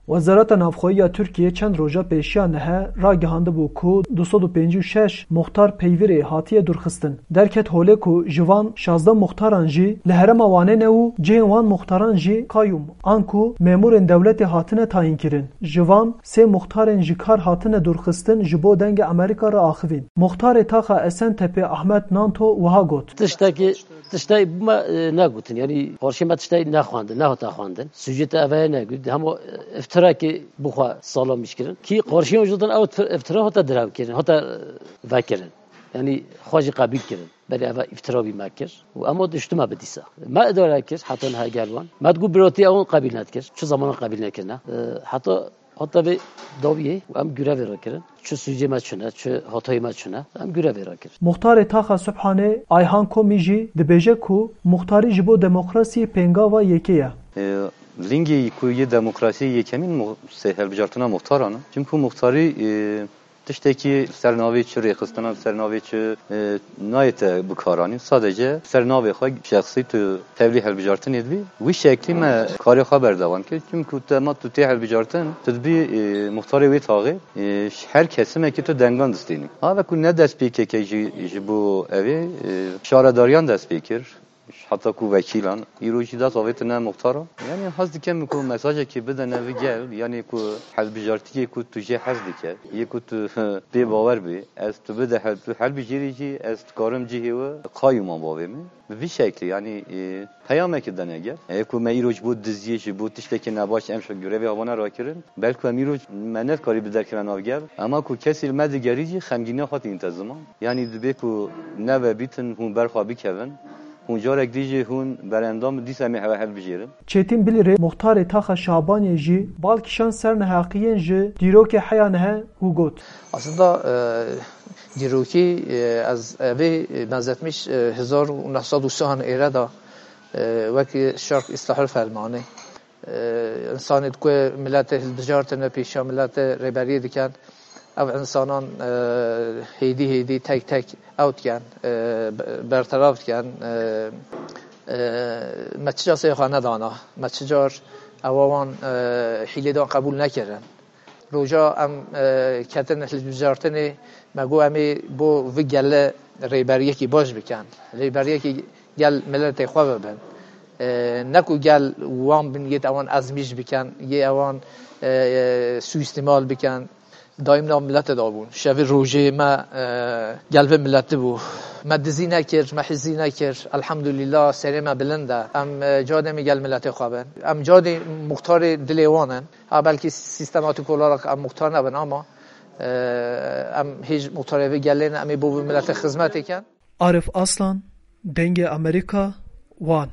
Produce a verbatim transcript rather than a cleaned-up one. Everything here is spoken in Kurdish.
Wezareta Navxweyî ya Tirkiyê çend roja pêşiya nihe ragihandibû ku du sed û pêncî û şeş muxtar peyvîrê hatiye dûrxistin. Derket holê ku ji van şazdeh muxtaran jî li herêma Wanê ne û cihên wan muxtaran jî qayûm an ku memûrên dewletê hatine tayînkirin. Ji van sê muxtarên ji kar hatine dûrxistin ji bo Dengê Amerîka re axivîn. Muxtarê taxa Esentepe Ahmet Nanto wiha got. Tiştekî, tiştekî bû me, e, negotin. Yanî qarşî me tiştekî nexwendin, nehate xwendin. Sûcê te eve ye negot. Hema, e, îftirakê bixwe salamîş kirin. Kî qarşî wan jî din ew îftir-, îftira hate direvkirin, hate, e, vekirin. Yanî xwe jî qebîl kirin. Belê eve îftira bî me kir. Û ema diştime bi dîsa. Me idare kir, heta niha gel wan. Me digot birotî ewan qebîl nedikir. Çi zamana qebîl nekirine. E, heta Hata vê dawiyê û em grevê rakirin. Çi sûcê me çune, çi hatayê me çune, em grevê rakirin. Muxtarê taxa Subhanê Ayhan Komî jî dibêje ku muxtarî ji bo demokrasiyê pêngava yekê ye. E, lingê ku yê demokrasiyê yekemîn mu-, se-, hilbijartina muxtaran e. Çimku muxtarî, e, tiştekî ser navê çi rêxistina, ser navê çi, e, nayête bikaranîn. Sadece ser navê xwe şexsî tu tevlî hilbijartinê dibî. Wî şeklî me karê xwe berdewam kir. Çimku te ma tu tê hilbijartin, tu dibî, e, muxtarê wê taxê, e, ji her kesimekî tu dengan distênî. Ha ve ku ne dest pê keke jî ji bo evê, e, şaredariyan dest pê kir. Heta ku vekîlan, îro jî dest avêtine muxtara. Yanî hez dikem ku mesajekî bidene vi gel, yanî ku hilbijartiyê ku tu jê hez dike, yê ku tu pê bawer bî, ez tu bide hel-, tu helbijêrî jî, ez dikarim cihê we qayûman bavê min. Bi vî şeklî, yanî, e, peyamekî dene gel. Ê ku me îro ji bo diziyê, ji bo tiştekî nebaş em şo grevê havana rakirin, belku em îro me nedikarî bi derkeve nav gel. Ema ku kesî li me digerî jî xemgîniya xwe tînte ziman. Yanî dibê ku neve bîtin hûn berxwe bikevin. Hûn carek dî jî hûn berendam dîsa em ê hewe helbijêrin. Çêtîn Bilîrê muxtarê taxa Şabaniyê jî bal kişand ser neheqiyên ji dîrokê heya nihe û got. Aslında, e, dîrokî, e, ez evê, e, benzetmiş, e, hezar û neh sed û sî an êre de, e, wekî şerh îstihar fermanê. E, insanê ku miletê hilbijartine, pêşiya miletê rêberiyê dikin, ev insanan, e, hêdî hêdî tek tek ew dikin, e, be-, berterav dikin, e, e, me çi car sê xwe nedana, me çi car ewa wan, e, hîlê dan qebûl nekirin. Roja em, e, ketin hilbijartinê, me got em ê bo vi gele rêberiyekî baş bikin. Rêberiyekî gel miletê xwe bibin. E, ne ku gel wan bin yê ewan ezmîş bikin, yê ewan, e, suîstimal bikin. Daîm nav milete de bûn. Şevê rojê me, e, gel vê mileti bû. Me dizî nekir, me hizî nekir. Elhamdulillah serê me bilind e. Em, e, cadê me gel miletê xwe bin. Em cadê muxtarê dilê wan in. Ha, belkî sîstematîk olarak em muxtar nebin ama, e, em hêj muxtarê vê gelê ne, em ê bo vê miletê xizmetê kin. Arif Aslan, Dengê Amerîka, Wan.